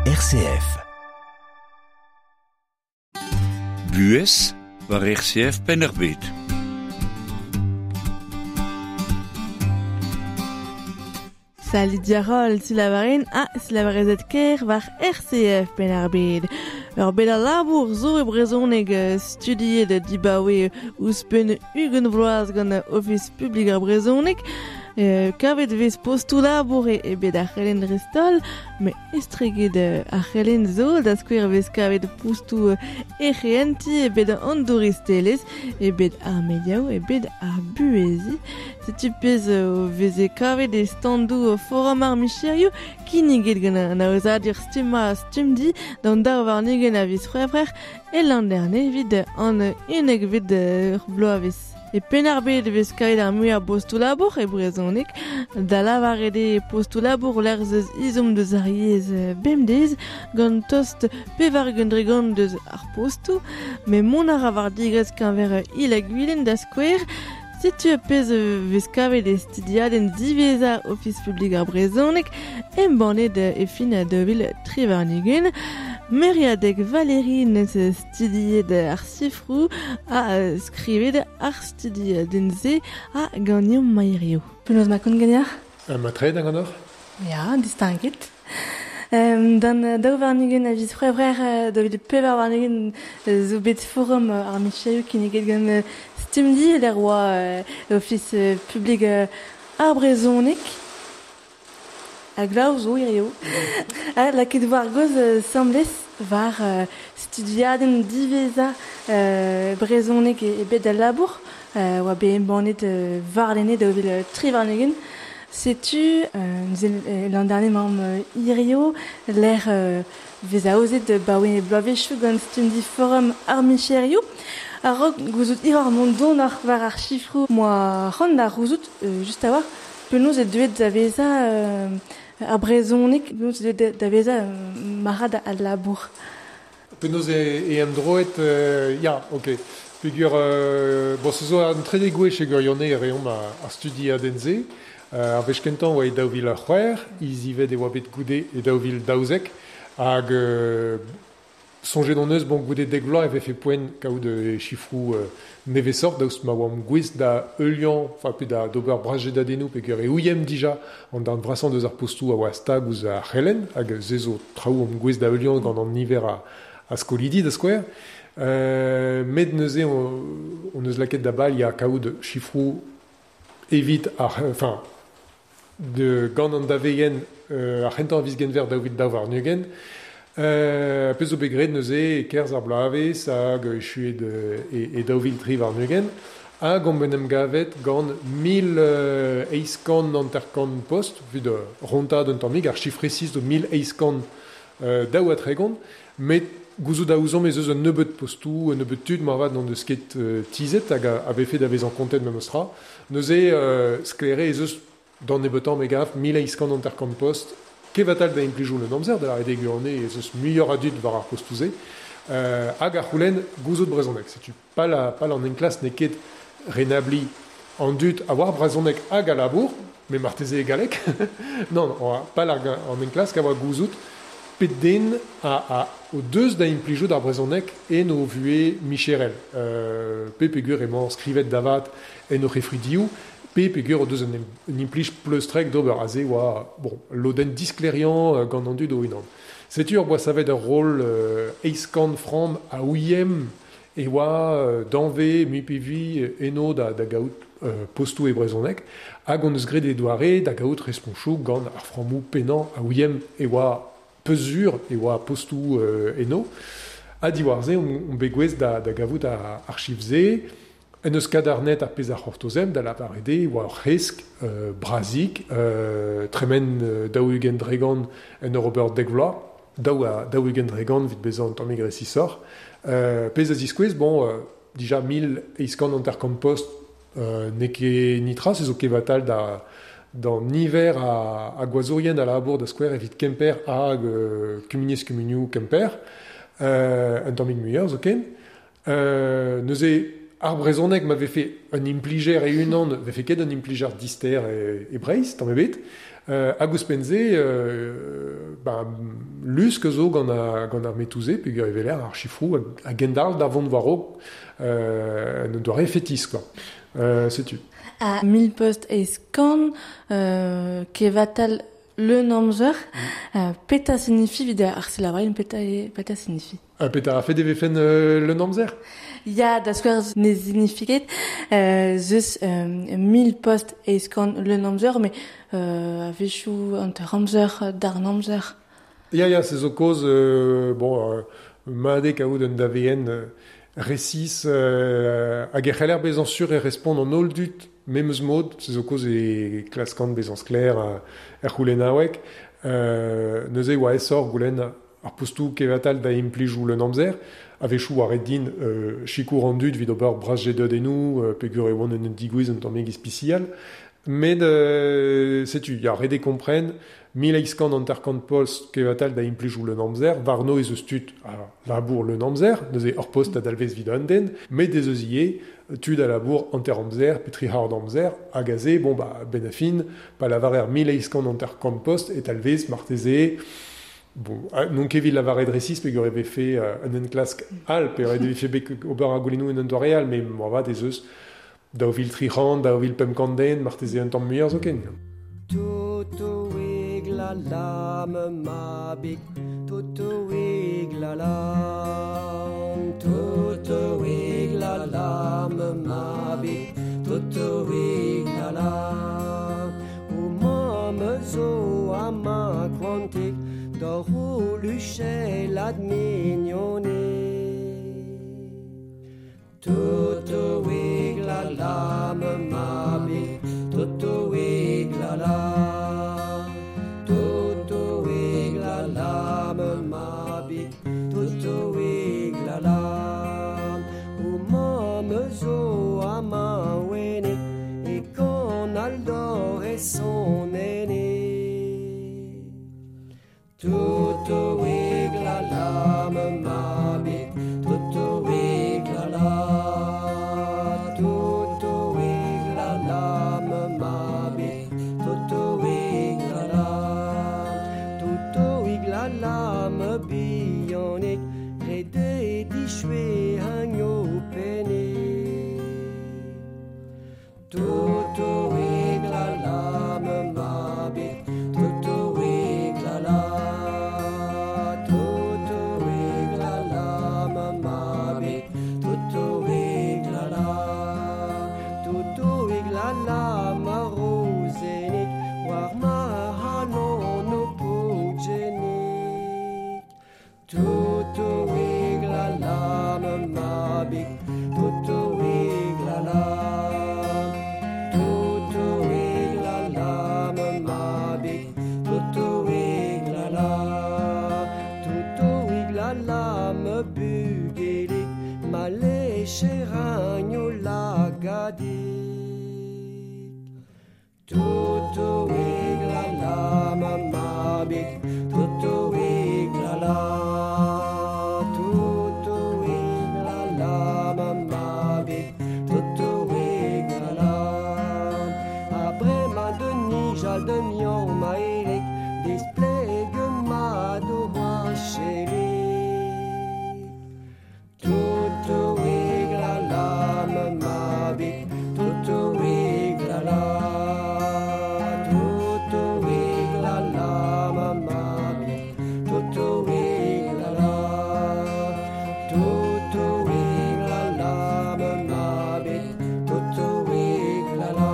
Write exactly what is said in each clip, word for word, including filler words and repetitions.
R C F. Buez war R C F Penn-ar-Bed. Salut diarol, silavaren ha silavarezet ker war R C F Penn-ar-Bed. Ur bet a labour zo e brezhoneg studiet dibaoe ouzhpenn ugent vloaz gant Ofis Publik ar Brezhoneg. Euh, kavet vez postoù labour e, e bet ar c'helenn dreist-holl, met estreget ar c'helenn zo, da skouer vez kavet postoù ec'henti e bet an douristelezh, e bet ar mediaoù, e bet ar buhezi. Setu pezh veze kavet e standoù forum ar micherioù kinniget gant an aozadur stummañ Stumdi d'an daou warn-ugent a viz C'hwevrer e Landerne evit an unekvet bloavezh. E Penn-ar-Bed vez kavet ar muiañ postoù labour e brezhoneg, da lavaret eo postoù labour lec'h eus izom deus ar yezh bemdez, gant tost pevar-ugent dregont deus ar postoù, met mont a ra war digresk keñver Il-ha-Gwilen da skouer. Setu pezh vez kavet e studiadenn diwezhañ Ofis Publik ar Brezhoneg, embannet e fin daou vil tri warn-ugent. Meriadeg Valérie neus studiet ar sifroù ha skrivet ar studiadenn-se ha ganeomp Mairio. Penaos ma kont ganeoc'h? Ma tre da ganeoc'h? Ya, distinguet. Um, dan daou warn-ugent a viz C'hwevrer daou vil pevar warn-ugent zo bet forum ar micherioù kinniget gant Stumdi l'er oa Ofis Publik ar Brezhoneg. A glav zo hirio. Ha lakaet war goz semblez war uh, studiadenn diwezhañ uh, brezhoneg e bet al labour, uh, oa bet embannet uh, warlene daou vil tri warn-ugent. Setu, euh, l'an dernier mamm hirio, l'er euh, vez aozet baoe bloavezhioù gant Stumdi forum ar micherioù. A-raok gouzout hir ar mont don ar war ar chifroù moa c'hoant da c'houzout, euh, just a-walc'h, penaos e deuet da vezañ euh, ar brezhoneg, penaos e deuet da vezañ euh, marc'had al labour. Penaos e, e emdroet, euh, ya, ok. Peogwir, euh, bon, se zo an trede gwech e gwirionez e reomp ar studiadenn-se. Euh, ar wech kentañ oa e daou vil c'hwec'h, hizivet e oa bet goude e daou vil daouzek, hag euh, soñjet hon eus, bon, goude dek vloaz e vefe poent kaout e chifroù euh, nevesoc'h, daoust ma oamp gouest da heuliañ, enfin pe da d'ober brasjedadennoù peogwir e ouiemp dija an darn vrasañ deus ar postoù a oa stag ouzh ar c'helenn, hag se zo traoù omp gouest da heuliañ gant an niver a, a skolidi da skouer. Euh, met neuze on, on eus lakaet da bal ya kaout chifroù evit ar, enfin, de gant an daveien euh, ar c'hentañ viz Genver daou vil daou warn-ugent. Euh, pezh zo bet graet neuze e kerzh ar bloavezh hag echuet e, e daou vil tri warn-ugent, hag omp en em gavet gant mil eizh kant hanter-kant post, evit rontad un tammig, ar chifr resis zo mil eizh kant daou ha tregont, met gouzout a ouzomp ez eus un nebeud postoù, un nebeud tud moarvat n'hon eus ket euh, tizhet hag a, a vefe da vezañ kontet memestra. Neuze euh, sklaere ez eus d'an nebeutañ me gav mil eizh kant hanter-kant post, kevatal da implijoù un amzer, da lavaret eo gwirionez ez eus muioc'h a dud war ar postoù-se, euh, hag ar c'houlenn gouzout brezhoneg. Setu pal, pal an enklask n'eo ket renabliñ an dud a oar brezhoneg hag a labour, met marteze e galleg. Non, pal ar, an enklask a oa gouzout pet den a, a, o deus da implijout ar brezhoneg en o vuhez micherel. Euh, pe peogwir emañ skrivet davat en o c'hefridioù, pe peogwir o deus un, un implij pleustrek d'ober aze oa, bon, lodenn diskleriañ gant an dud o-unan. Setu ur boa savet ur rol euh, eizh kant framm a ouiem e oa euh, danve mui pe vui eno da, da gaout euh, postoù e brezhoneg, hag on eus graet e doare da gaout responchoù gant ar frammoù pennañ a ouiem e oa peuzur e oa postoù euh, eno. Ha diwar-se on, on bet gouest da, da gavout ar, ar chifr-se. En eus kadarnet ar pezh ar c'hortozem da lavaret eo oa ur c'hresk euh, brazik, euh, tremen euh, daou-ugent dregont en ur ober dek vloaz, daou a daou-ugent dregont evit bezañ un tammig resisoc'h. Euh, pezh a ziskouez, bon, euh, dija mil eizh kant hanter-kant post euh, n'eo ket nitra, se zo kevatal da d'an niver a, a gwazourien a labour da skouer evit Kemper hag euh, kumuniezh kumunioù Kemper, euh, un tammig muioc'h zoken. Euh, neuze ar brezhoneg ma vefe un implijer e-unan, vefe ket un implijer dister e, e Breizh, tamm ebet. Euh, hag ouzhpenn-se, euh, ba, lusk zo gant, a, gant ar metouze, peogwir e weler ar chifrou a gendal da vont war-raok euh, un doare fetis, quoi. Euh, setu. A mil post eizh kant, euh, kevatal le amzer, mm. euh, peta signifie vid ar silabarenn peta, peta signifie. Euh, peta a fet e vefen euh, le amzer? Ya, da skouer ne signifie ket, euh, zeus euh, mil post eizh kant le amzer, mais euh, a-wechoù hanter amzer, darn amzer. Ya, ya, se zo kaoz, euh, bon, euh, mat eo kaout un daveenn euh, resis euh, hag e c'heller bezañ sur e respont an holl dud memes mod, se zo kaoz e klaskan bezañ sklaer er c'houlennaoueg, euh, neuze oa aesoc'h goulenn ar postoù kevatal da implijoù le amzer, a-wechoù a ret din euh, sikour an dud evit ober bras jedadennoù, euh, peogwir e oant en un digouez un tammig ispisial, met euh, setu, ya, ret eo kompren, mil eizh kant hanter-kant post kevatal da implijoù le amzer, warno ez eus tud a labour le amzer, neuze ur post a dalvez evit un den, met ez eus ivez tud a labour hanter amzer, pe tri c'hard amzer, hag aze, bon, ba, ben a fin, pa lavarer mil eizh kant hanter-kant post e talvez marteze, bon, n'on ket evit lavaret resis peogwir e vefe euh, un enklask all, pe e vefe bet ober ar goulennoù en un doare all, met moarvat ez eus daou vil tri c'hant, daou vil pemp kant den, marteze un tamm muioc'h zoken. Totoig la la me mabig, totoig la la, totoig la la me mabig, totoig la la. O mamm zo amañ koantik, d'hor o luchellat mignoned. Totoig la la me mabig, totoig la la, totoig la la me mabig, totoig la la. O mamm zo amañ wenik, e kan al dor e son ene. Totoig la la me mabig, totoig la la, totoig la la me mabig, totoig la la, totoig la la me bihanik, ret eo dichwe hagn o pennig. Totoig la la me mabig, totoig la la, totoig la la me mabig, totoig la la, totoig la la ma rozennig, war ma c'halon o paotr-jenig. Totoig la la me mabig, totoig la la, totoig la la me mabig, totoig la la, totoig la la me bugelig, ma lecheragn o lagadig. Totoig la la ma mabig, totoig la la, totoig la la ma mabig, totoig la la. A bremañ da nijal da miañ ma elek, displeg mat o c'hoachelik. Totoig la la ma mabig, totoig la la, totoig la la ma mabig, totoig la la, totoig la la ma mabig, totoig la la.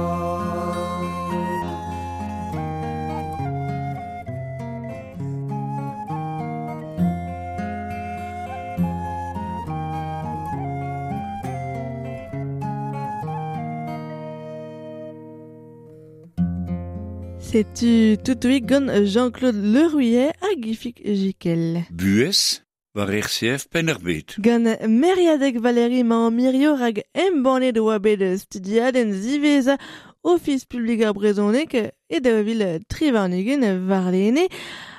Setu totoig gant Jean-Claude Leruyer hag Ifig Jikel. Buhez war R C F Penn-ar-Bed. Gant Meriadeg Valérie mañ mirio rag embannet oa bet studiadenn ziwezhañ Ofis publik ar brezhoneg e daou vil tri warn-ugent warlene.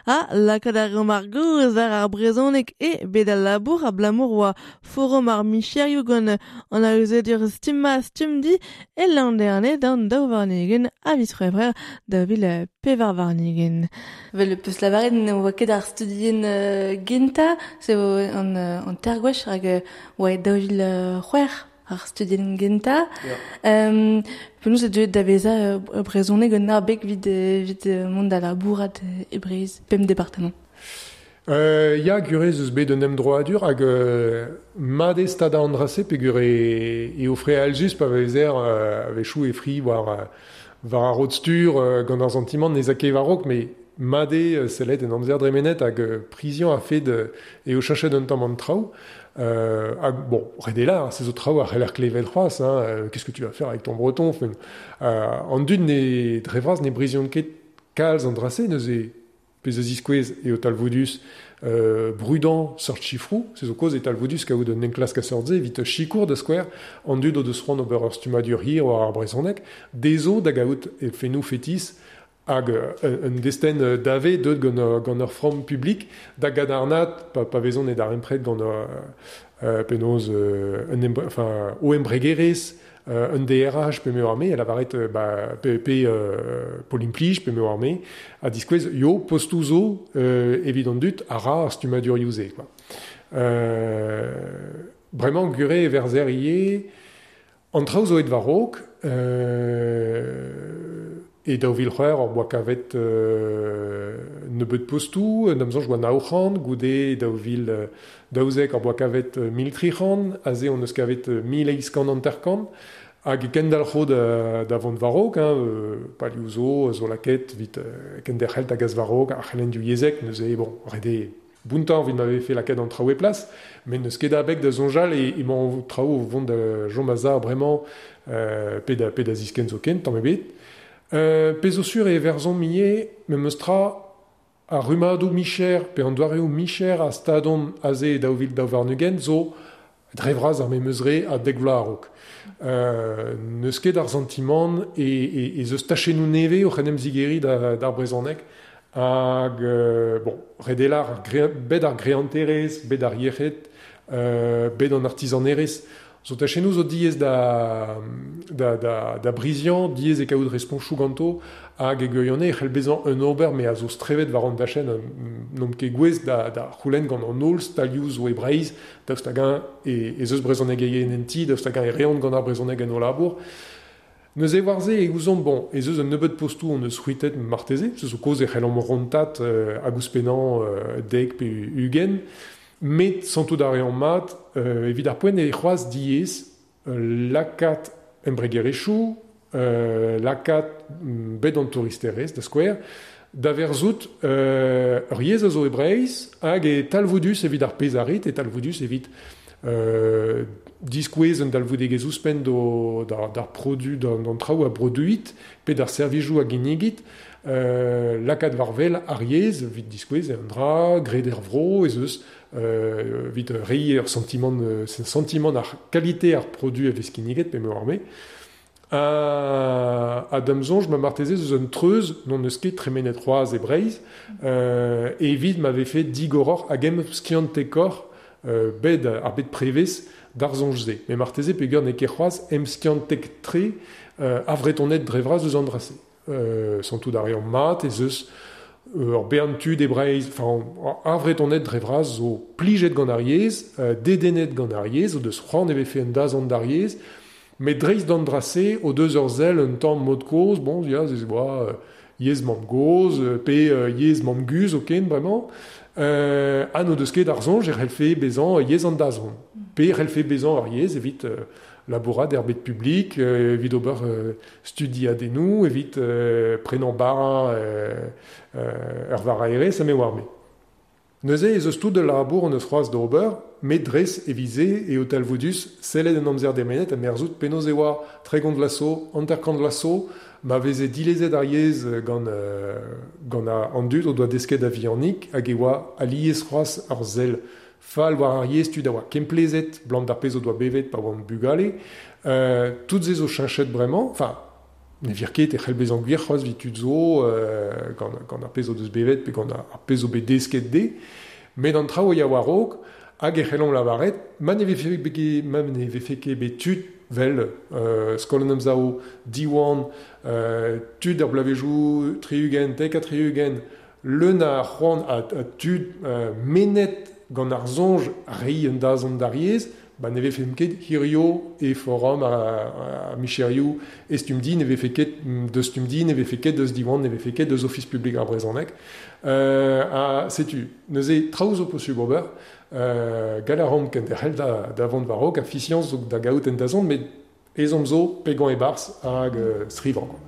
Ha lakaat ar reomp ar gaoz war ar brezhoneg e bet al labour abalamour oa forum ar micherioù gant an aozadur stumma stumdi e Landerne d'an daou warn-ugent a viz C'hwevrer daou vil pevar warn-ugent. Vel peus lavaret ne oa ket ar studien uh, genta, se vo an, an ter gwech hag oa daou vil c'hwec'h ar studien genta. Um, penaos e deuet da vezañ uh, brezhoneg un abeg evit, evit mont da labourat e Breizh, pemp departamant. Euh, ya, gurez eus bet un emdroadur hag euh, mat eo stad an dra-se peogwir e, e ofre alzus pa vezer euh, a-wechoù e fri war, war ar rod-stur euh, gant ar santimant ne ket war-raok, met mat eo sellet en amzer dremenet hag euh, priziañ a fed e o cheñchet un tamm an traoù. Euh, hag, bon, ret eo lar, se zo traoù a c'heller klevet c'hoazh, hein, euh, qu'est-ce que tu vas faire avec ton breton, enfin, euh, an dud ne dre vras ne briziont ket kalz an dra-se, neuze pezh a ziskouez eo talvoudus euh, brudañ seurt chifroù, se zo kaoz e talvoudus kaout un enklask a seurt-se evit sikour da skouer an dud o deus c'hoant ober ur stummadur hir war ar brezhoneg, dezho da gaout e fennoù fetis hag un destenn dave deut gant, gant ur framm publik da gadarnat pa, pa vezont e darempred gant euh, penaos euh, un embre, enfin, o embregerezh euh, un D R H pe m'eo arme, a lavaret ba, pe, pe euh, Pôle Implij pe m'eo arme, a diskouez yo postoù zo euh, evit an dud a ra ar stummadurioù-se, quoi. Euh, bremañ gure e verzer ivez, an traoù zo aet war-raok, euh, e daou vil c'hwec'h hor boa kavet euh, nebeut postoù, d'am soñj oa nav c'hant, goude daou vil daouzek hor boa kavet mil tri c'hant, aze hon eus kavet mil eizh kant hanter-kant, hag kendalc'ho da, da vont war-raok, hein, euh, palioù zo, zo lakaet evit euh, kenderc'hel da gas war-raok ar c'helenn divyezhek, neuze, bon, ret eo bountañ evit ma vefe lakaet an traoù e plas, met n'eus ket abeg da soñjal e emañ traoù o vont da chom a-sav bremañ euh, pe da, pe da ziskenn zoken, tamm ebet. Euh, pezh zo sur e verzomp ivez memes tra ar rummadoù micher pe an doareoù micher a stadont aze daou vil daou warn-ugent zo dre vras ar memes re a dek vloaz a-raok. Euh, n'eus ket ar santimant e, e, ez eus tachennoù nevez oc'h en em zigeriñ da, d'ar brezhoneg hag euh, bon, ret eo lar ar gre, bet ar greanterezh, bet ar yec'hed, euh, bet an artizanerezh. Zo tachennoù zo diaes da, da, da, da briziañ, diaes e kaout responchoù ganto, hag e gwirionez e c'hell bezañ un ober me a zo strevet war an dachenn n'omp ket gouest da, da c'houlenn gant an holl stalioù zo e Breizh, daoust hag-eñ e, ez eus brezhonegerien en ti, daoust hag-eñ e reont gant ar brezhoneg en o labour. Neuze war se e ouzomp, bon, ez eus un nebeud postoù hon eus c'hwitet marteze, se zo kaoz e c'hellomp rontat euh, hag ouzhpennañ euh, dek pe ugent, met santout a reomp mat, euh, evit ar poent e c'hoazh diaes euh, lakaat embregerezhioù, euh, lakaat bet an touristerezh da skouer, da verzout euh, ur yezh a zo e Breizh hag e talvoudus evit ar pezh a rit, e talvoudus evit euh, diskouez un dalvoudegezh ouzhpenn d'o, d'ar, d'ar produ, d'an, d'an traoù a broduit, pe d'ar servijoù a ginnigit, euh, lakaat war wel ar yezh evit diskouez un dra, graet er vro, ez eus euh, evit reiñ ur santimant, sentiment ar kalite ar produ a vez kinniget pe m'eo arme. A, a da'm soñj ma marteze eus un treuz n'on eus ket tremenet c'hoazh e Breizh, euh, evit ma vefe digoroc'h hag em skiantekoc'h euh, bet ar bet prevez d'ar soñj-se. Met marteze peogwir n'eo ket c'hoazh em skiantek-tre euh, a vretoned dre vras eus an dra-se. Euh, santout a reomp mat ez eus ur bern tud e Breizh, enfin, ar vretoned dre vras zo plijet gant ar yezh, euh, dedennet gant ar yezh, o deus c'hoant e vefe un dazont d'ar yezh, met dreist d'an dra-se o deus ur sell un tamm mod kozh, bon, ya, ze oa euh, yezh mamm-gozh, pe euh, yezh mamm-guzh zoken bremañ, euh, ha n'o deus ket ar soñj e c'hellfe bezañ yezh an dazont, pe e c'hellfe bezañ ar yezh evit euh, labourat er bed publik, euh, evit ober euh, studiadennoù, evit euh, prenañ bara euh, euh, ur varaerezh ha me oar me. Neuze ez eus tout de labour hon eus c'hoazh d'ober, met dres evit-se eo talvoudus sellet en amzer demenet ha merzout penaos e oa tregont vloaz zo, hanter-kant vloaz zo, ma veze dilezet ar yezh gant, euh, gant an dud o doa desket a-vihanik hag e oa alies c'hoazh ar sell fall war ar yezh tud a oa kemplezet, blam d'ar pezh o doa bevet pa oant bugale. Euh, tout se zo cheñchet bremañ, enfin, Ne vir ket e c'hell bezañ gwir c'hoazh evit tud zo euh, gant, gant ar pezh o deus bevet pe gant ar pezh zo bet desket de, met an traoù ya war-raok hag e c'hellomp lavaret ma ne vefe bet ma ne vefe ket bet tud vel euh, Skol an Emsav, Diwan, euh, tud ar bloavezhioù tri-ugent, dek ha tri-ugent, leun a c'hoant a, a tud euh, menet gant ar soñj reiñ un dazont d'ar yezh, ba ne vefe ket hirio e forum a, a, a micherioù e stumdi, ne vefe ket deus stumdi, ne vefe ket deus Diwan, ne vefe ket deus Ofis publik ar brezhoneg. Euh, a, setu, neuze traoù zo posubl ober, euh, gall a ran kenderc'hel da, da vont war-raok, a fiziañs zo da gaout en dazont, met ezhomm zo pegañ e-barzh hag euh, skrivañ, quoi.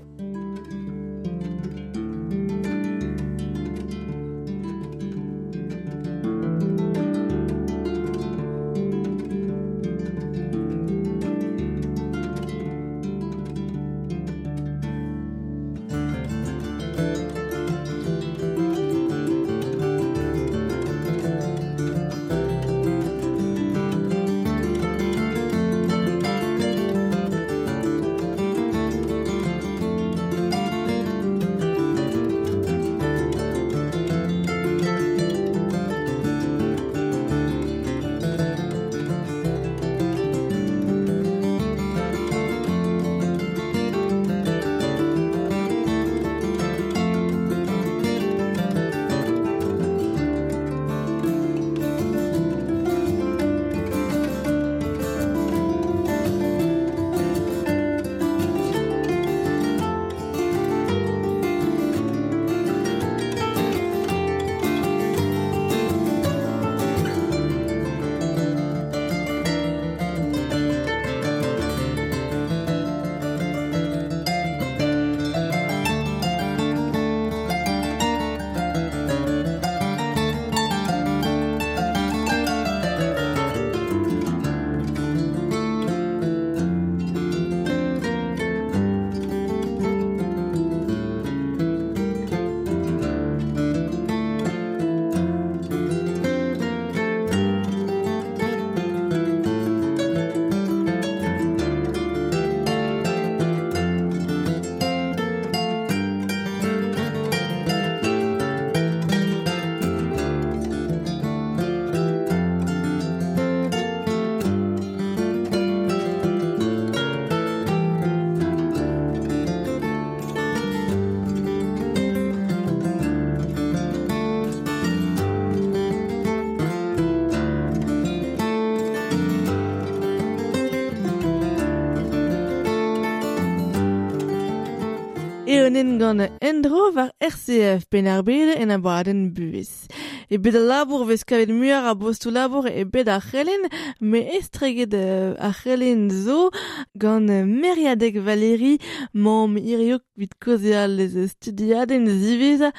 Eonen gant endro war R C F Penn-ar-Bed en abadenn buhez. E bet al labour vez kavet muioc'h a bostoù labour e bet ar c'helenn, me estreget euh, ar c'helenn zo gant Meriadeg Valérie, mamm hirio evit kaozeal eus studiadenn ziwezhañ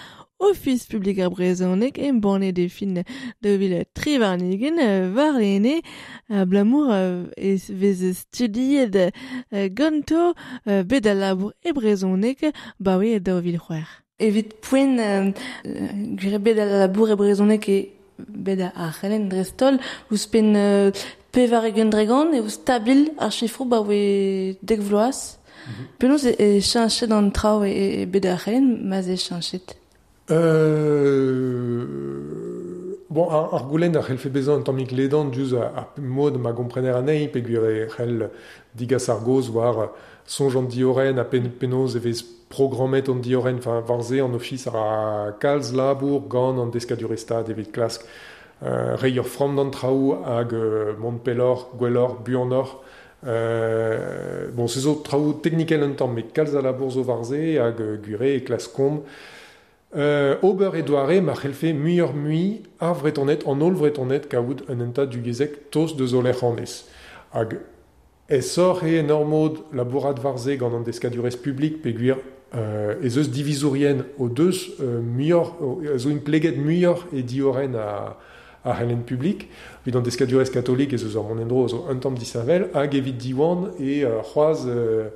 Ofis publik ar brezhoneg embannet e fin daou vil tri warn-ugent warlene abalamour e vez studiet ganto bet al labour e brezhoneg baoe daou vil c'hwec'h. Evit poent gwir bet al labour e brezhoneg e bet ar c'helenn dreist-holl ouzhpenn pevar ugent dregont eo stabil ar sifroù baoe dek vloaz. Penaos e cheñchet an traoù e bet ar c'helenn ma'z eo cheñchet? Euh, bon, ar, ar goulenn a c'hellfe bezañ un tammig ledan diouzh ar mod ma gomprener anezhi peogwir e c'hell digas ar gaoz war soñj an diorren ha pen, penaos e vez programmet an diorren, enfin, war se an ofis a kalz labour gant an deskadurezh stad evit klask euh, reiñ ur framm d'an traoù hag euh, mont pelloc'h, gwelloc'h, buanoc'h. Euh, bon, se zo traoù teknikel un tamm, met kalz a labour zo war se hag euh, gwir eo e klaskomp Euh, ober e doare ma c'hellfe muioc'h mui ar vretoned, an holl vretoned kaout un hentad dugezek tost deus o lec'h annez. Hag aesoc'h eo en ur mod labourat war se gant an deskadurezh publik peogwir euh, ez eus divizourien o deus euh, muioc'h, zo impleget muioc'h e diorren a, ar c'helenn publik, evit an deskadurezh katolik ez eus ur mont en-dro zo un tamm disheñvel, hag evit Diwan e euh, c'hoazh euh,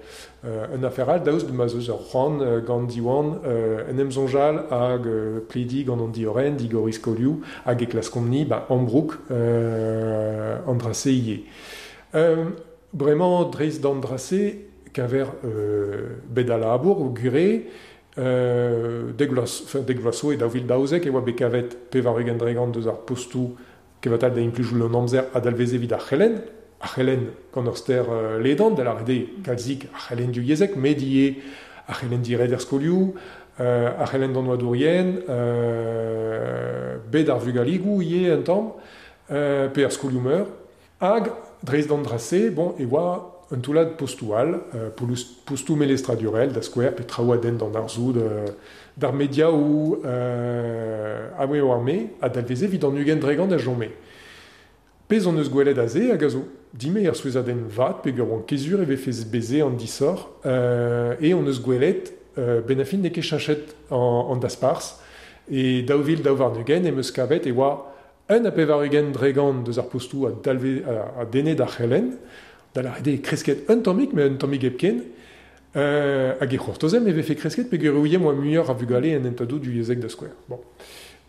euh, un afer all daoust ma 'z eus ur c'hoant euh, gant Diwan euh, en em soñjal hag euh, plediñ gant an diorren, digoriñ skolioù, hag e klaskomp-ni ba ambroug euh, an dra-se ivez. Euh, bremañ dreist d'an dra-se, kaver euh, bet a labour, o gure, euh, deg vloaz zo e daou vil daouzek e oa bet kavet pevar ugent dregant deus ar postou kevatal da implijout an amzer a dalveze evit ar c'helenn, ar c'helenn gant ur ster euh, ledan, da lâret eo kalzik ar c'helenn divyezhek, met ivez ar c'helenn diret er skolioù, euh, ar c'helenn d'an oadourien, euh, bet ar vugaligoù ivez un tamm, euh, pe ar skolioù meur, hag dreist d'an dra-se, bon, e oa un toullad postou all, euh, postou melestradurel, da skouer, pe traoù a denn d'an arzoù, d'ar media ou euh, a oa arme, a dalveze evit an ugent dregant a chome. Pezh on eus gwelet aze, hag a zo dime er souezhadenn vat, peogwir oan kezur e vefe beze an disoc'h, euh, e on eus gwelet euh, ben a fin n'eo ket cheñchet an, an dasparzh, e daou vil daou warn-ugent em eus kavet e oa un a pevar ugent dregant deus ar postou a, dalve, a, a denne d'ar c'helenn, da lâret eo kresket un tammig, met un tammig hepken, euh, hag e c'hortozem e vefe kresket peogwir e ouiemp oa muioc'h a vugale en hentadoù divyezhek da skouer. Bon.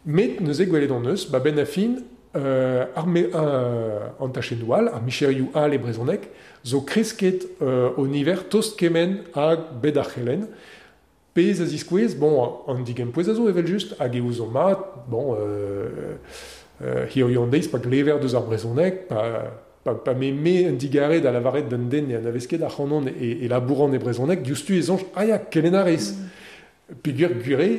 Met neuze gwelet hon eus, ba ben a fin, euh, ar me, euh, an tachennoù all, ar micherioù all e brezhoneg, zo kresket euh, o niver tost kement hag bet ar c'helenn. Pezh a ziskouez, bon, an digempouez a zo evel-just, hag e ouzon mat, bon, euh, euh, hiziv an deiz pa glever deus ar brezhoneg, pa, pa, pa me me un digare da lavaret d'un den e anavez ket ac'hanon e, e labouran e brezhoneg, diouzhtu e soñj, ah ya, kelenn a rez. Mm. Peogwir gure,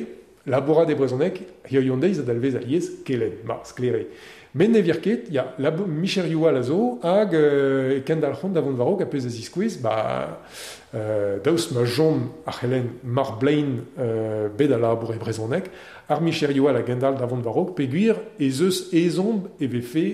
labourat e brezhoneg, hiziv an deiz a dalvez alies kelenn, ma, sklaer eo. Met ne vir ket, ya, labo, micherioù all a zo, hag euh, e kendalc'hont da vont war-raok a pezh a ziskouez, ba, euh, daoust ma chom ar c'helenn mar blein euh, bet a labour e brezhoneg, ar micherioù all a gendalc'h da vont war-raok, peogwir ez eus ezhomm e vefe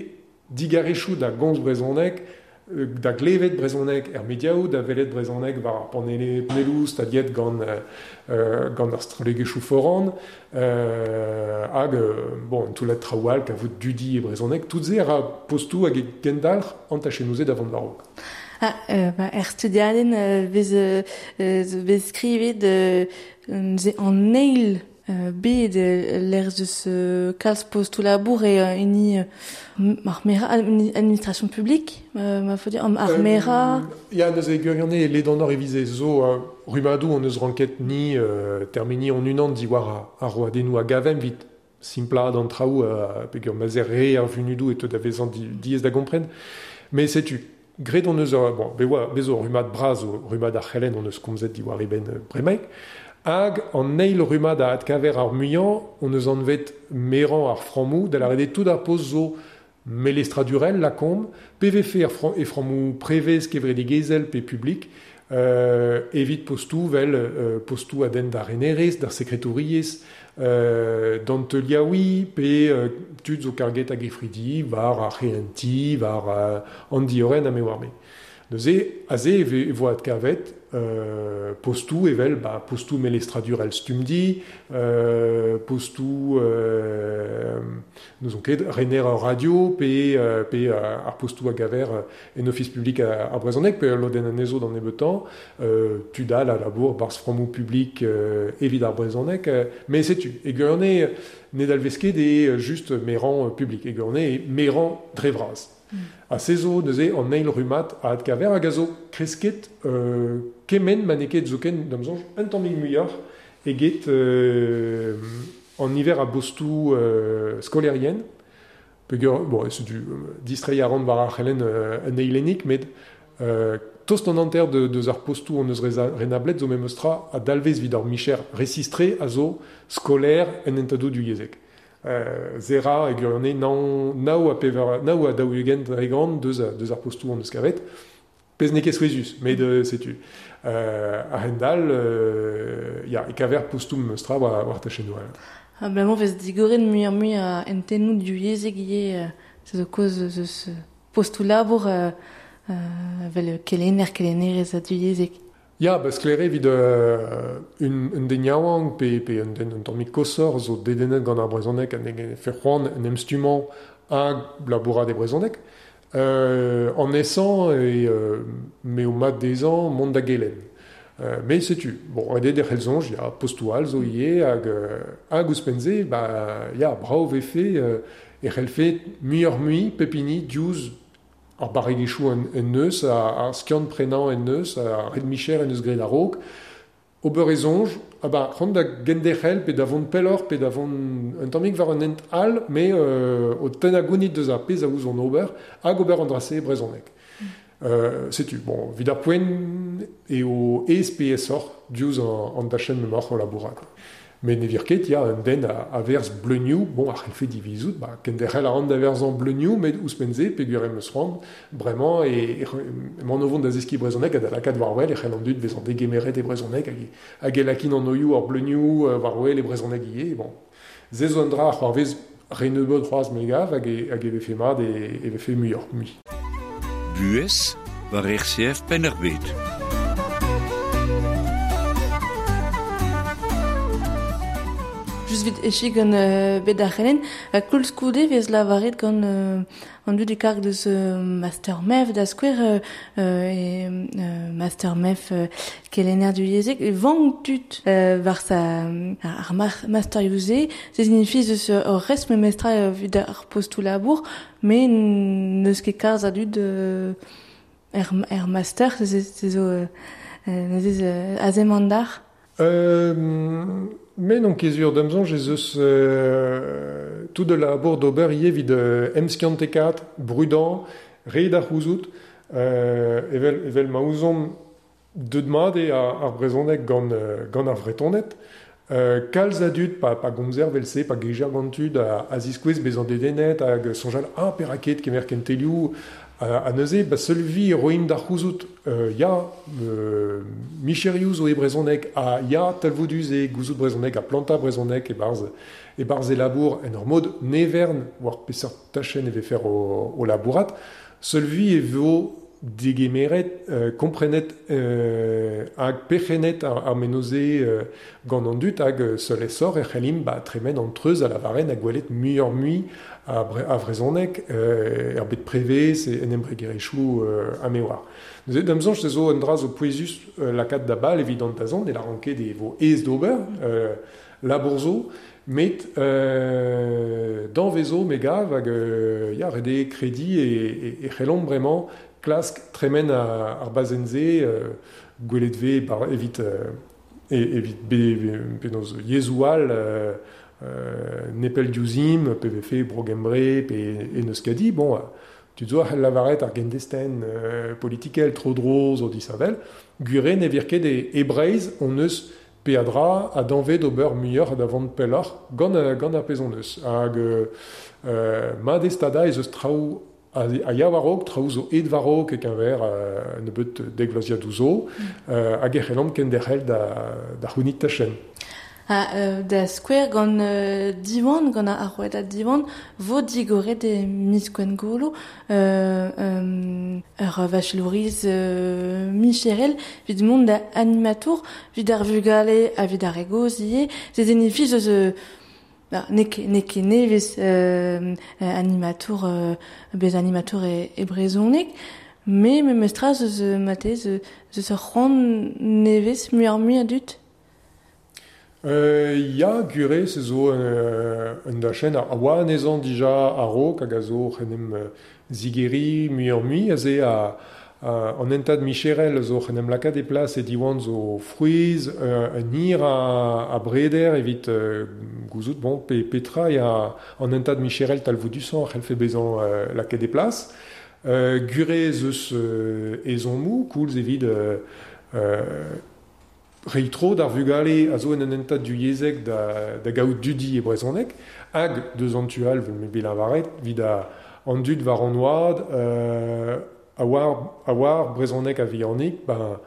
digarezioù da gomz brezhoneg, da glevet brezhoneg er mediaoù, da welet brezhoneg war ar panele, panelloù staliet gant, euh, gant ar strollegezhioù foran, euh, hag, bon, un toullad traoù all kavout dudi e brezhoneg, tout se a ra postou hag e gendalc'h an tachennoù-se da vont war-raok. Ah, euh, ba, er studiadenn euh, vez, euh, vez skrivet euh, an eil euh, bet l'erz deus euh, kalz postou labour e euh, hini euh, ar mera, administration publique, euh, ma faut dire, ar mera... Euh, ya, neuze gwirionez ledanoc'h e vize zo euh, rummadoù on eus ranket ni euh, termeni on unan diwar ar, ar roadennoù a gavemp vit simplaat an traoù euh, peogwir ma 'z eo re ar vunudoù e teu da vezañ di, diaes da gompren. Mais setu, graet on eus, bon, be oa, bez zo rummad bras o rummad ar c'helenn on eus komzet diwar e benn bremaik, hag an eil rummad a adkaver ar muiañ, on eus anvet merañ ar frammoù, da lâret eo tout ar post zo melestradurel lakaomp, pe vefe ar fram, e frammoù prevez kevredigezhel pe publik, euh, evit postou vel euh, postou a denn d'ar renerez, d'ar sekretouriezh, euh, d'an teuliaouiñ, pe euh, tud zo karget hag efridi, war ar c'hehentiñ, war euh, an diorren ha me oar me. Neuze, aze e ve, e vo adkavet euh, postou evel, ba, postou melestradurel stumdi, euh, postou euh, n'ouzon ket, rener ar radio, pe, euh, pe ar postou a gaver en ofis publik a, ar brezhoneg, pe lodenn anezho d'an nebeutañ, euh, tud all a labour barzh frammoù publik euh, evit ar brezhoneg, euh, mais setu, e gwirionez ne dalvez ket eo just merañ publik, e gwirionez eo merañ dre vras. Mm. Ha se zo neuze an eil rummad a adkaver hag a zo kresket euh, kement ma n'eo ket zoken d'am soñj un tammig muioc'h eget euh, an niver a bostou euh, skolaerien. Peogwir, bon, setu distreiñ a ran war ar c'helenn euh, un eilennig, met euh, tost an hanter de, deus ar postou on eus renablet zo memes tra a dalvez evit ar micher resistre a zo skolaer en hentadoù divyezhek. Euh, zera e gwirionez nav, nav a pevar, nav a daou ugent dregant deus, deus ar postou on eus kavet. Pezh n'eo ket souezhus, met euh, setu. Euh, a-hend-all, euh, ya, e kaver postou memes tra war, war tachennoù all. Ha bremañ vez digoret muioc'h-mui a hentennoù divyezhek ivez, se zo kaoz eus postou labour euh, euh, vel kelenner, kelennerez a divyezhek. Ya, ba sklaer eo evit euh, un, un den yaouank pe, pe un den un tammig koshoc'h zo dedennet gant ar brezhoneg ha ne fe c'hoant en em stummañ hag labourat e brezhoneg. Euh, an aesañ e euh, m'eo mat dezhañ mont da gelenn. Euh, met setu, bon, ret eo derc'hel soñj, ya, postou all zo ivez hag, hag ouzhpenn-se, ba, ya, brav vefe euh, e c'hellfe muioc'h-mui pep hini diouzh ar barregezhioù en, en neus, ar, ar skiant prenañ en neus, ar red micher en eus graet a-raok, ober e soñj, ah ba, c'hoant da genderc'hel pe da vont pelloc'h pe da vont un tammig war un hent all, me euh, o tennañ gounit deus ar pezh a ouzon ober, hag ober an dra-se e brezhoneg. Mm. Euh, setu, bon, evit ar poent eo aes pe aesoc'h diouzh an, an dachenn m'emaoc'h o labourat. Met ne vir ket, ya, un den a, a verz bleunioù, bon, a c'hellfe divizout, ba, kenderc'hel a ran da verzañ bleunioù, met ouzhpenn-se, peogwir em eus c'hoant, bremañ, e, e, emaon o vont da zeskiñ brezhoneg ha da lakaat war-wel e c'hell an dud bezañ degemeret e brezhoneg hag, hag e lakin an oioù ar bleunioù war-wel e brezhoneg ivez, bon. Se zo un dra a c'hoarvez re nebeut c'hoazh me gav hag e, hag e vefe mat e, e vefe muioc'h mui. Buhez war R C F Penn-ar-Bed. Just vit echi gant euh, bet ar c'helenn, ha koulskoude vez lavaret gant euh, an dud e karg deus euh, Master M E F da skouer euh, e euh, Master M E F euh, kelenner du yezek, e vank tud euh, war sa ar Master Yuze, se signifie eus ur rest me mestra euh, vid ar postou labour, me n'eus ket kalz a dud euh, er, er Master, se se zo euh, neuze euh, azem an dar. Euh... Mais non ket sur d'am soñj ez eus euh, tout de labour d'ober ivez evit euh, emskiantekat, brudañ, re da c'houzout, euh, evel, evel ma ouzomp deut mat eo ar, ar brezhoneg gant, gant ar Vretoned, euh, kalz a dud pa, pa gomzer vel-se, pa gejer gant tud a, a ziskouez bezañ dedennet hag soñjal ah perak kemer kentelioù a, a neuze, ba seul vi roimp da c'houzout euh, ya euh, micherioù zo e brezhoneg ha ya talvoudus e gouzout brezhoneg ha plantañ brezhoneg e-barzh e-barzh e labour en ur mod nevern war peseurt tachenn e vefe o, o labourat, seul vi e vo degemeret, euh, komprenet euh, hag perc'hennet ar, ar menoze euh, gant an dud hag seul esor e c'hellimp ba, tremen an treuz a lavaren ha gwelet muioc'h mui a, bre, a vrezhoneg euh, er bet prevez e en embregerezhioù euh, a me oar. Neuze d'am soñj se zo un dra zo pouezus euh, lakaat da bal evit an dazont e la ranket e vo aes d'ober euh, labour zo, met euh, danvezo me gav hag euh, ya ret eo krediñ e, e, e c'hellomp bremañ klask tremen ar, ar bazenn-se euh, gwelet vez bar, evit, euh, e, evit be, penaos yezhoù all euh, euh, nepell diouzhimp, pe vefe Bro-Gembre, pe en Euskadi, bon, tu zo a c'hell lavaret ar gendestenn euh, politikel tro-dro zo disheñvel, gwir ne vir ket e, e Breizh on eus peadra a danvez d'ober muioc'h da vont pelloc'h gant, gant ar pezh on eus. Hag euh, mat eo stadañ ez eus traoù a, a ya war-raok, traoù zo aet war-raok e-keñver euh, nebeut dek vloaziadoù zo, euh, hag e c'hellomp kenderc'hel da, da c'hounit tachenn. Ha euh, da skouer gant euh, Diwan, gant ar rouedad Diwan, vo digoret e miz Gwengolo, euh, euh, ur vachelouriz euh, micherel, vid mont da animatour, vid ar vugale ha vid ar re gozh ivez, se zenifi eus euh, Ba, n'eo ket, n'eo ket nevez euh, animatour, euh, bez animatour e, e brezhoneg, me memestra zeus mate, zeus ur c'hoant nevez muioc'h mui a dud. Euh, ya, gure, se zo euh, un dachenn a oa anezhañ dija a-raok hag a zo c'hen em zigeri muioc'h mui, aze a, a, an hentad micherel zo c'hen em lakaat e plas e Diwan zo frouezh, euh, un hir a, a breder evit euh, gouzout, bon, pe, petra ya an hentad micherel talvoudusañ a c'hellfe bezañ euh, lakaet e plas. Euh, gure ez eus euh, ezhommoù, koulz evit euh, euh, reiñ tro d'ar vugale a zo en un hentad du yezhek da, da gaout dudi e brezhoneg, hag deus an tu all, me bet lavaret, evit a, an dud war an oad, euh, a war, a war brezhoneg a vihanik, ben,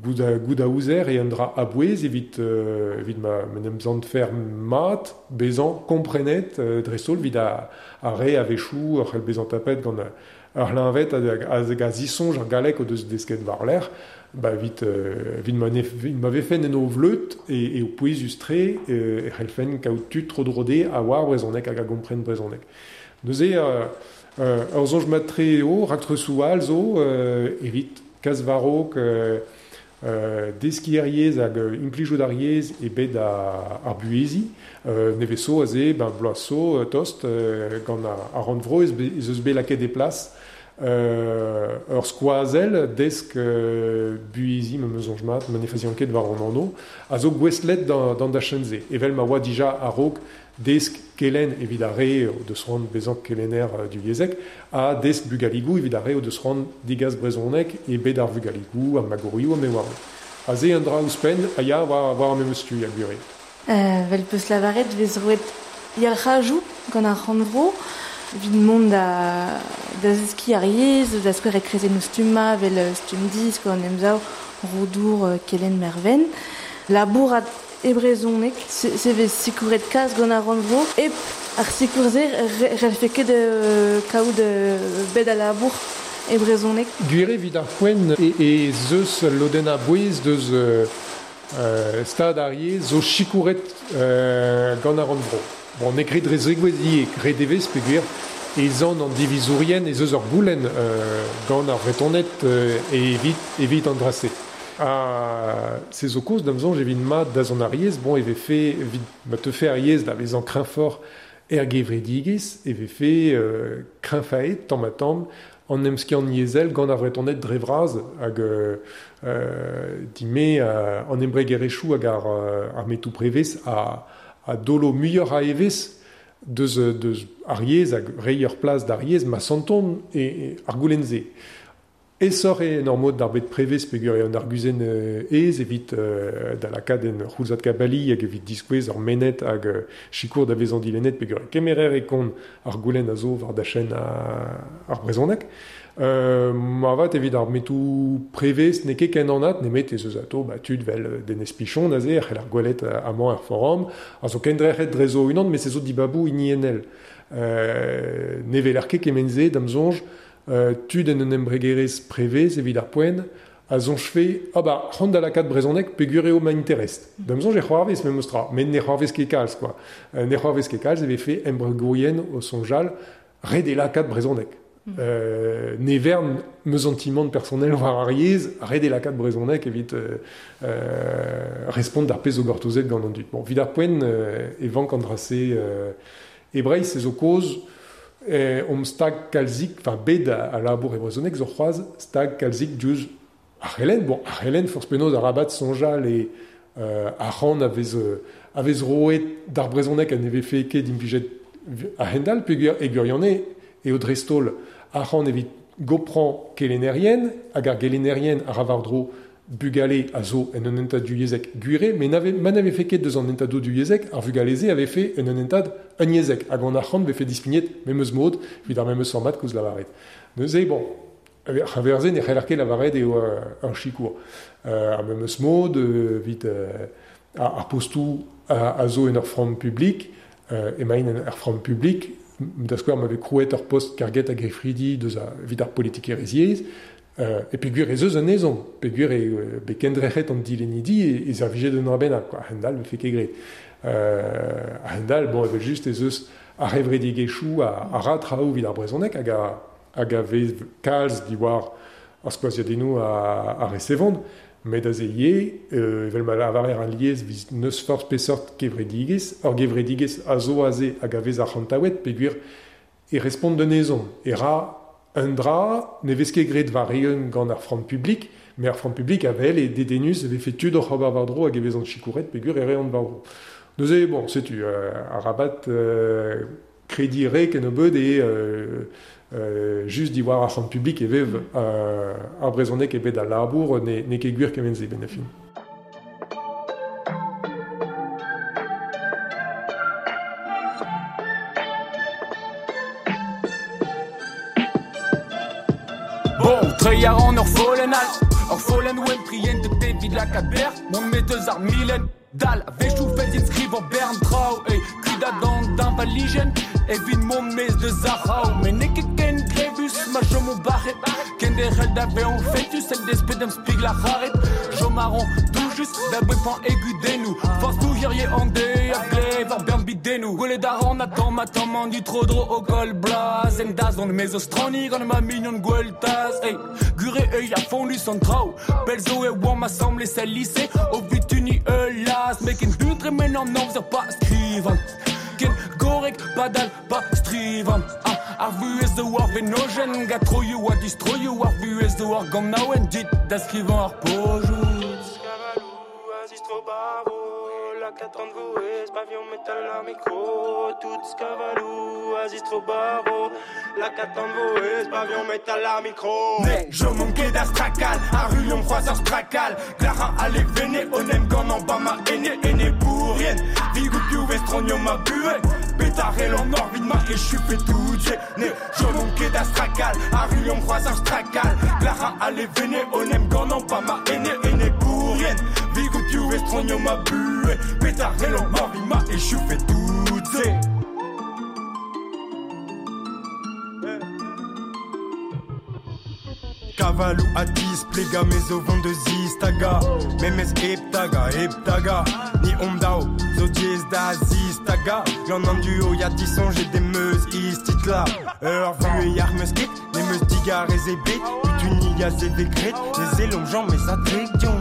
gout a, gout a ouzer e un dra a-bouez evit, euh, evit ma, ma n'em zant fer mat, bezañ komprenet euh, dreist-holl evit a, a re a-wechoù ur c'hell bezañ tapet gant ar c'hleñved hag a, a zisoñj ar galleg o deus desket war-lerc'h, ba evit, euh, evit ma, nef, ma vefen en o vleud e, e o pouezus-tre euh, e c'hellfen kaout tud tro-dro dezhe a war brezhoneg hag a gompren brezhoneg. Neuze, euh, euh, ur soñj mat-tre eo, raktresoù all zo, euh, evit kas war-raok, euh, euh, deskiñ ar yezh hag implijout ar yezh e bed ar, ar buheziñ. Euh, nevez zo aze, ben, bloaz zo, tost, euh, gant ar, ar rannvro ez, ez eus bet lakaet e plas euh, ur skoazel desk euh, buizi me meus soñj mat, ma ne fazian ket war an anno, a zo gouestlet d'an, d'an dachenn-se. Evel ma oa dija a-raok desk kelen evit ar re o deus c'hoant bezañ kelenner du yezek, ha desk bugaligou evit ar re o deus c'hoant digaz brezhoneg e bed ar vugaligou, ar magorioù, ha me oar. A ze un dra ouzhpenn a ya war, war ar memes tu a gwir. Euh, vel peus lavaret vez roet yalc'hajoù gant ar rannvro, evit mont da, da zeskiñ ar yezh, da skouer e krezennoù stumma, vel stumm disk, an emsav, Roudour, Kelenn Merven. Labourat e brezhoneg, se, se vez sikouret kalz gant ar rannvro, hep ar sikour-se relfe ket euh, kaout euh, bed a labour e brezhoneg. Gwir evit ar poent e, e zeus lodenn a bouez deus euh, euh, stad ar yezh zo sikouret euh, gant ar rannvro. Bon, n'eo ket dre zegouezh ivez, graet e vez peogwir e zan an divizourien ez eus ur goulenn euh, gant ar Vretoned euh, evit, evit an dra-se. Ha se zo kaoz da'm soñj evit mat da zont ar yezh, bon, e vefe evit ma teufe ar yezh da vezañ kreñvoc'h er gevredigezh, e vefe euh, kreñvaet tamm ha tamm an emskiant yezhel gant ar Vretoned dre vras hag euh, dime euh, an embregerezhioù hag ar, ar metoù prevez a, a dolo muioc'h a evezh deus, deus ar yezh hag reiñ ur plas d'ar yezh ma santon e, e ar goulenn-se. Aesoc'h eo en ur mod d'ar bed prevez peogwir eo an arguzenn aes evit euh, da lakaat en c'houlzad kabali hag evit diskouez ar mened hag euh, sikour da vezañ dilennet peogwir kemerer e kont ar goulenn a zo war dachenn ar brezhoneg. Euh, ma avat evit ar metoù prevez n'eo ket ken anat nemet ez eus atao ba, tud vel Denez Pichon aze ar c'hell ar gwelet amañ er forum a zo kendrec'het dre zo unan met se zo dibaboù hiniennel. Euh, ne weler ket kement-se da'm soñj Euh, tud en un embregerezh prevez evit ar poent a soñj fe ah ba c'hoant da lakaat brezhoneg peogwir eo ma interest. Da'm soñj e c'hoarvez memes tra, met ne c'hoarvez ket kalz quoi. Euh, ne c'hoarvez ket kalz e vefe embregourien o soñjal ret eo lakaat brezhoneg. Mm. Euh, ne vern me sentiment personnel war ar yezh, ret eo lakaat brezhoneg evit euh, euh, respont d'ar pezh zo gortozet gant an dud. Bon, evit ar poent euh, e vank an dra-se euh, e Breizh ez zo kaoz Eh, omp stag kalzik, enfin bet a, a labour e brezhoneg zo c'hoazh stag kalzik diouzh ar c'helenn. Bon, ar c'helenn forzh penaos arabat soñjal e euh, arc'hant a vez, a vez roet d'ar brezhoneg ha ne vefe ket implijet a-hend-all peogwir e gwirionez eo dreist-holl arc'hant evit goprañ kelennerien hag ar gelennerien a ra war-dro bugale a zo en un hentad du yezhek gwir eo, met n'ave, ma ne vefe ket deus an hentadoù du yezhek, ar vugale-se a vefe en un hentad un yezhek, hag an arc'hant vefe dispignet memes mod evit ar memes format koulz lavaret. Neuze, bon, ar verze ne c'heller ket lavaret eo ur sikour. Euh, ar memes mod evit euh, ar postoù a, a zo en ur framm publik, euh, emaint en ur framm publik, da skouer ma vez krouet ur post karget a gefridi deus a, evit ar politikerezh yezh, Euh, e peogwir ez eus un ezhomm, peogwir eo bet kendrec'het an dilennidi e, e servijet un dra bennak, quoi. A-hend-all vefe ket graet. Euh, a-hend-all, bon, evel-just ez eus ar c'hevredigezhioù a, a ra traoù evit ar brezhoneg hag a, hag a vez kalz diwar ar skoaziadennoù a, a resevont, met aze ivez, euh, evel ma lavarer an liez vis n'eus forzh peseurt kevredigezh, ur gevredigezh a zo aze hag a vez arc'hantaouet peogwir e respont d'un ezhomm, e ra un dra ne vez ket graet war-eeun gant ar framm publik, met ar framm publik a wel e dedennus e vefe tud oc'h ober war-dro hag e vezont sikouret peogwir e reont war-dro. Neuze, bon, setu, euh, arabat euh, krediñ re kennebeut eo euh, euh, just diwar ar framm publik e vev euh, ar brezhoneg e bed al labour ne, n'eo ket gwir kement-se benn ar fin. Treiñ a ran ur follenn all, ur follenn wenn trient evit lakaat berr, mont met eus ar milenn dal, a-wechoù fell din skrivañ bern traoù, ey, kudat an deñvalijenn, evit mont maez deus ar c'hraou, met n'eo ket ken grevus ma chomo bac'het, kenderc'hel da vezañ fetus, en desped d'am spigl ar c'haret, chom a ran doujus da brepañ e gudennoù, forzh tou hirie an deiz a glev ar bern bidennoù, gwelet a ran a tamm ha tamm an dud tro-dro o koll blaz, en dazont me zo straniñ gant ma mignon Gweltaz, ey, gure eo a fonnus an traoù, pell zo e oamp asambles el lise, o vutuniñ ul laz, met ken buan tremen an amzer pa skrivan, ken gorrek padal pa strivan, ah, Ar vuez zo ar venojen Ga troioù a distroioù Ar vuez zo ar ganaouen Dit da skrivañ ar pojou Skavalou, azistro baro La katran voez, pavillon metal la micro Tout skavalou, azistro baro La katran voez, pavillon metal la micro Ne, je manquais d'astrakal Arulion, croiseur strakal Clara, allez, venez, onem, gant en bas ma ene, ene bourrien Vigou piou, vestronio ma bué Pétarel en orbite ma et je fais tout Ne, je manquais d'astrakal Arulion, croiseur strakal Clara, allez, venez, onem, gant en bas ma ene, ene bourrien Vigou piou, vestronio ma bué Pétarel en orbite ma et je fais tout Kavalou atis, plega mezo vont de zistaga Memes heptaga, heptaga Ni omdao, zo diez da zistaga J'en en duo, ya disonge des meus istitla Ur vu e yar meus ket, ne meus digar ez e bet Utuni ya zevegret, les elom jan mes adredion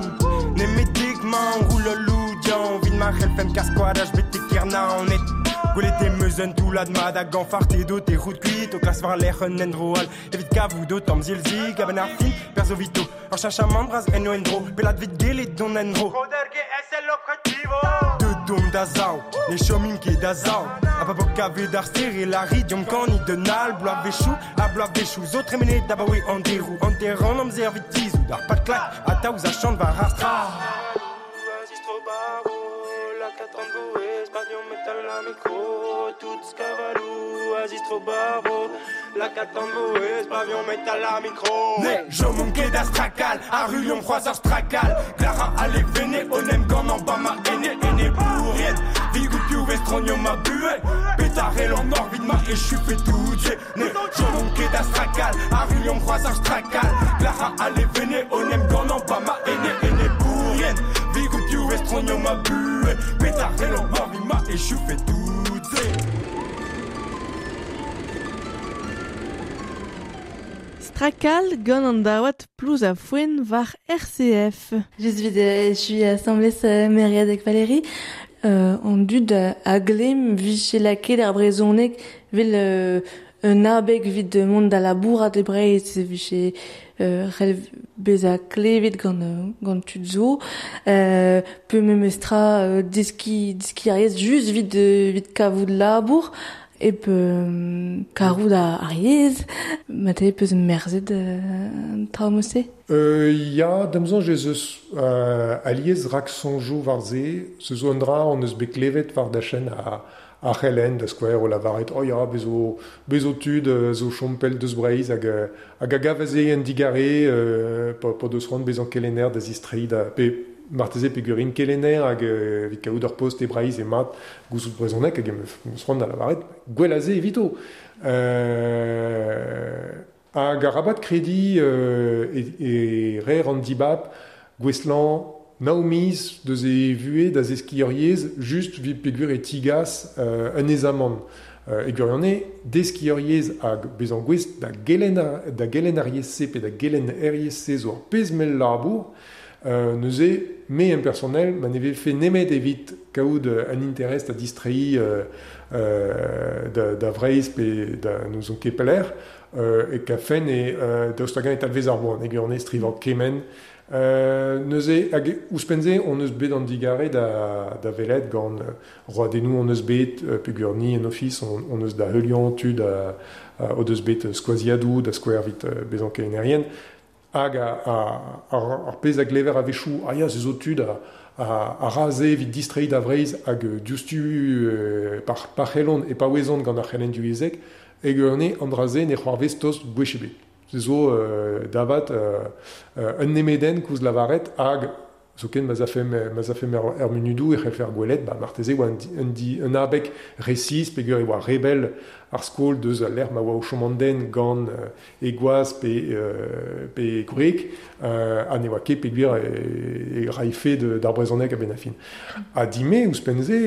Ne me degman, roule loudian Vin ma c'helfem kaskoadaj bete kerna an et Gwelet e meus un toulad mat hag anfart edo te rout kuit O klas war lec'h un endro all Evit kavout o tamm zilzik a ben ar fin Perzo vito Ur chachamant braz en o endro Pelat vit gelet don endro De dom da zao Ne chomim ket da zao A pa bok kavet ar ster e lari Diom kanit d'un al Bloav vechou A bloav vechou Zo tremenet da baoe an derou An terran amzer vit tizou D'ar pat klak A taouz a chant war ar stra Pavillon metal la micro Tout skavalou, azistro baro La katran voez, pavillon metal la micro Ne, je manquais d'astrakal Arulion, croiseur strakal Clara, allez, venez, onem, gant en bas ma ene, ene bourrien Vigou piou, vestronio ma bué Pétarel en orbite ma et je fais tout Ne, je manquais d'astrakal Arulion, croiseur strakal Clara, allez, venez, onem, gant en bas ma ene, ene bourrien Vigou piou, vestronio ma bué Pétarel en orbite ma et je fais tout Strakal gant an daouad plouz a foen war R C F. Just vid je suis assemblée Mériad avec Valérie. Euh, an dud a glem vije laket ar brezhoneg vel euh, un abeg vid de mont da labourat e Breizh vije euh, c'hell bezañ klevet gant gant tud zo euh, pe memestra euh, deski deski ar yezh just vid vid kavout labour e pe karout ar yezh mate peus merzet euh, traoù-se. Euh, ya, damzon ez eus euh, aliez rak sonjoù war se, se zo un dra on eus bet klevet war da chen a a c'hellen da skouer o lavaret oh ya, bezo, bezo tud zo chompel deus Breizh hag hag a gavaze en digare euh, pa, pa deus c'hoant bezañ kelenner da zistrei da pe marteze pe gurin kelenner hag evit kaout ur post e Breizh e mat gouzout brezhoneg hag em eus c'hoant da lavaret gwell aze evito. Euh, hag arabat kredi euh, e, e rer an dibab gweslan Naomiz deus e vue da zeski ur yezh just vid peogwir e tigas euh, un ezamant. Euh, e gwirionez deski ur yezh hag bezañ gouest da gelen ar, da gelen ar yezh-se pe da gelen er yezh-se zo ar pezh mell labour euh, neuze me en personnel ma ne vefe nemet evit kaout un interest da distrei euh, euh, da, da Vreizh pe da n'ouzon ket pelec'h euh, e kafen e euh, daoust hag-eñ e talvez ar boan e gwirionez strivañ kement. Euh, neuze hag ouzhpenn-se on eus bet an digare da, da velet gant roadennoù on eus bet euh, peogwir ni en ofis on, on eus da heuliañ tud a, a, o deus bet skoaziadoù da skouer evit euh, bezañ kelennerien hag a, a, ar, ar pezh a glever a-wechoù ah ya se zo tud a, a, a ra se evit distreiñ da Vreizh hag diouzhtu euh, par, par c'hellont e pa ouezont gant ar c'helenn divyezhek e gwirionez an dra-se ne c'hoarvez tost gwech ebet. Se zo euh, davat euh, euh, un nemeden koulz lavaret hag zoken ma zafe ma zafe er, er munudoù e c'hellfer gwelet ba marteze oa un, un, un abeg resis peogwir e oa rebel ar skol deus al lec'h ma oa o chom an den gant euh, e gwaz pe, euh, pe gwreg euh, ha ne oa ket peogwir e, e raife d'ar brezhoneg a-benn ar fin. Ha dime ouzhpenn-se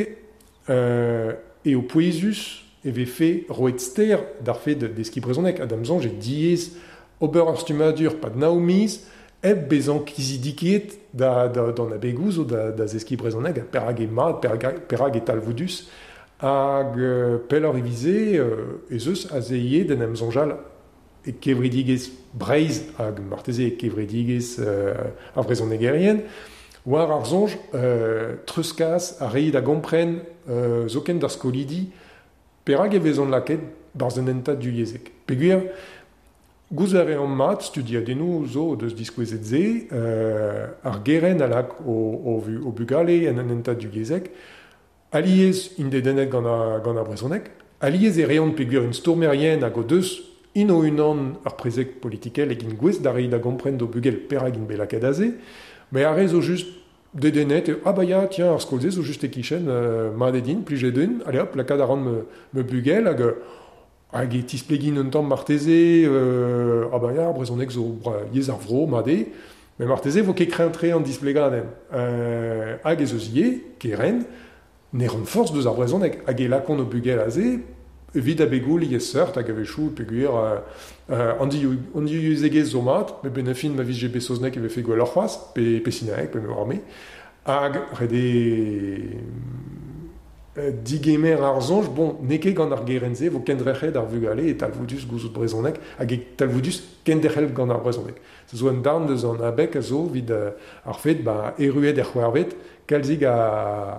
euh, eo pouezus e vefe roet ster d'ar fed deskiñ brezhoneg ha da'm soñj e diaes ober ar stummadur pad nav miz hep bezañ kizidiket da, da, d'an abegoù zo da, da zeskiñ brezhoneg ha perag e mat, perag, perag e talvoudus Hag euh, pelloc'h evize euh, ez eus aze ivez d'en em soñjal e kevredigezh Breizh hag marteze e kevredigezh euh, ar vrezhonegerien, war ar soñj euh, treuzkas a reiñ da gompren euh, zoken d'ar skolidi perak e vezont lakaet barzh un hentad divyezhek. Peogwir gouzout a reomp mat studiadennoù zo deus diskouezet se, euh, ar gerent a lak o, o, o bugale en un hentad divyezhek, alies int dedennet gant ar, gant ar brezhoneg, alies e reont peogwir int stourmerien hag o deus int o-unan ar prezeg politikel hag int gouest da reiñ da gompren d'o bugel perak int bet lakaet aze, met ar re zo just dedennet, e, ah bah ya, tiens, ar skol-se zo just e-kichen, euh, mat eo din, plijet din, allez hop, lakaat a ran me, me bugel hag hag e tisplegin un tamm marteze, euh, ah bah ya, ar brezhoneg zo bra, yezh ar vro, mat eo, met marteze vo ket kreñv-tre an displegadenn. Euh, hag ez eus ivez, kerent, ne ran forzh deus ar brezhoneg, hag e lakont o bugel aze, evit abegoù liesseurt hag a-wechoù peogwir euh, euh, an divyezhegezh zo mat, met benn ar fin ma vije bet saozneg e vefe gwelloc'h c'hoazh, pe, pe sinaeg, pe me oar me, hag ret eo digemer ar soñj, bon, n'eo ket gant ar gerent-se vo kendrec'het ar vugale e talvoudus gouzout brezhoneg hag e talvoudus kenderc'hel gant ar brezhoneg. Se zo un darn deus an abeg a zo evit ar fed ba erruet er c'hwec'hvet kalzig a,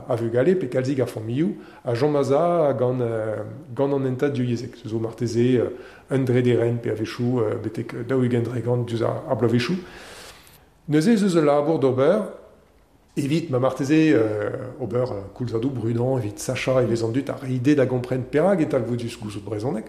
a vugale pe kalzig a familhoù a chom a-za gant, gant an hentad divyezhek. Se zo marteze un drederenn pe a-wechoù betek daou-ugent dregant diouzh ar, ar bloavezhioù. Neuze ez eus ul labour d'ober evit ma marteze euh, ober euh, koulzadoù brudañ evit sachañ evezh an dud ar ide da gompren perak e talvoudus gouzout brezhoneg,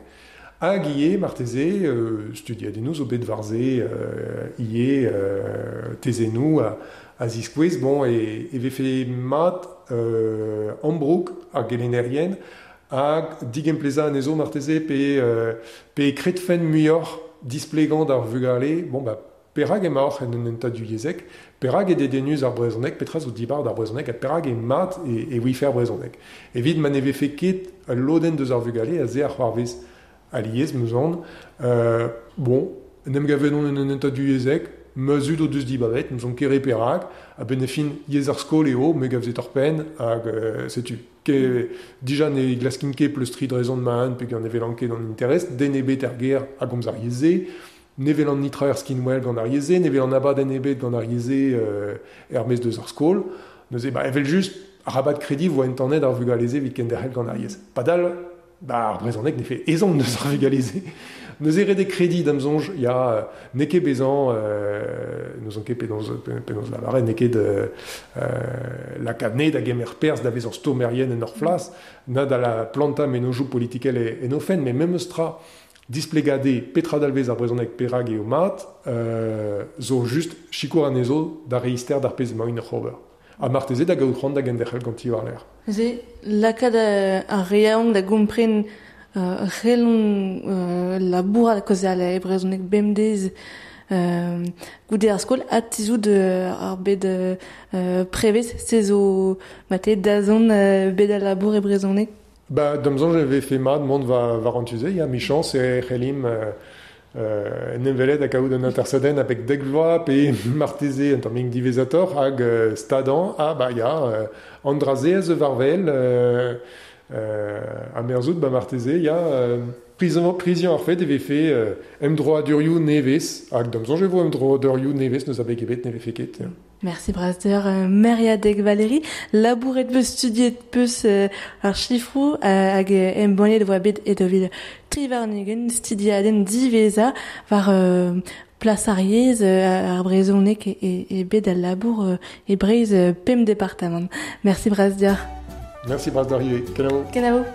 hag ivez marteze euh, studiadennoù zo bet war-se euh, ivez euh, tezennoù a, a ziskouez bon, e, e vefe mat euh, ambroug ar gelennerien hag digemplezañ anezho marteze pe, euh, pe kredfen muioc'h displegañ d'ar vugale, bon bah perak emaoc'h en un hentad divyezhek, perak eo dedennus ar brezhoneg, petra zo dibar d'ar brezhoneg, ha perak eo mat e, e ouife ar brezhoneg. Evit ma ne vefe ket ul lodenn deus ar vugale a se ar c'hoarvez alies, meus aon, euh, bon, en em gavet on en un hentad divyezhek, ma zud o deus dibabet, n'ouzon ket re perak, a-benn ar fin yezh ar skol eo, me gav se torr-penn, hag euh, setu. Ke, dija ne glaskin ket pleustriñ drezon ma-un pe gant ne velan ket an interest, den ebet er gêr a gomz ar yezh-se, ne velan nitra er skinwel gant ar yezh-se, ne velan abadenn ebet gant ar yezh-se euh, er-maez deus ar skol. Neuze, ba, evel just, arabat krediñ vo entanet ar vugale-se evit kenderc'hel gant ar yezh. Padal, ba, ar brezhoneg ne fe ezhomm deus ar vugale-se. Neuze ret eo krediñ da'm soñj, ya, n'eo ket bezañ, euh, n'ouzon ket penaos, penaos lavaret, n'eo ket euh, lakaat ne da gemer perzh da vezañ stourmerien en ur flas, na da la plantañ mennozhioù politikel e, en o fenn, met memes tra displegade petra dalvez ar brezhoneg perak eo mat, euh, zo just sikour anezho da reister d'ar pezh emaint oc'h ober. Ha marteze da gaout c'hoant da genderc'hel ganti war-lerc'h. Neuze, lakaat ar re yaouank da gompren euh, c'hellont euh, labourat kaozeal e brezhoneg bemdez euh, goude ar skol ha tizhout euh, ar bed euh, prevez, se zo mate dazont euh, bed al labour e brezhoneg. Ba, da'm soñj e vefe mat mont war, war an tu-se, ya, michañs e c'hellimp euh, euh, en em welet ha kaout un atersadenn a-benn dek vloaz pe marteze un tammig diwezhatoc'h hag euh, stadañ, ah ba ya, euh, an dra-se a zeu war-wel, euh, euh, ha merzout ba marteze, ya, euh, priziañ, priziañ ar fed e vefe euh, emdroadurioù nevez, hag da'm soñj e vo emdroadurioù nevez n'eus abeg ebet ne vefe ket. Ya. Merci Brasder, euh, Meriadeg Valérie, labouret peus studiet peus euh, ar chifroù euh, hag embannet e voa bet e daou vil tri warn-ugent studiadenn diwezhañ war euh, plas ar yezh euh, ar brezhoneg e, e, e bet al labour euh, e Breizh euh, pemp departamant. Merci Brasder. Merci Brasder ivez. Kenavo. Kenavo.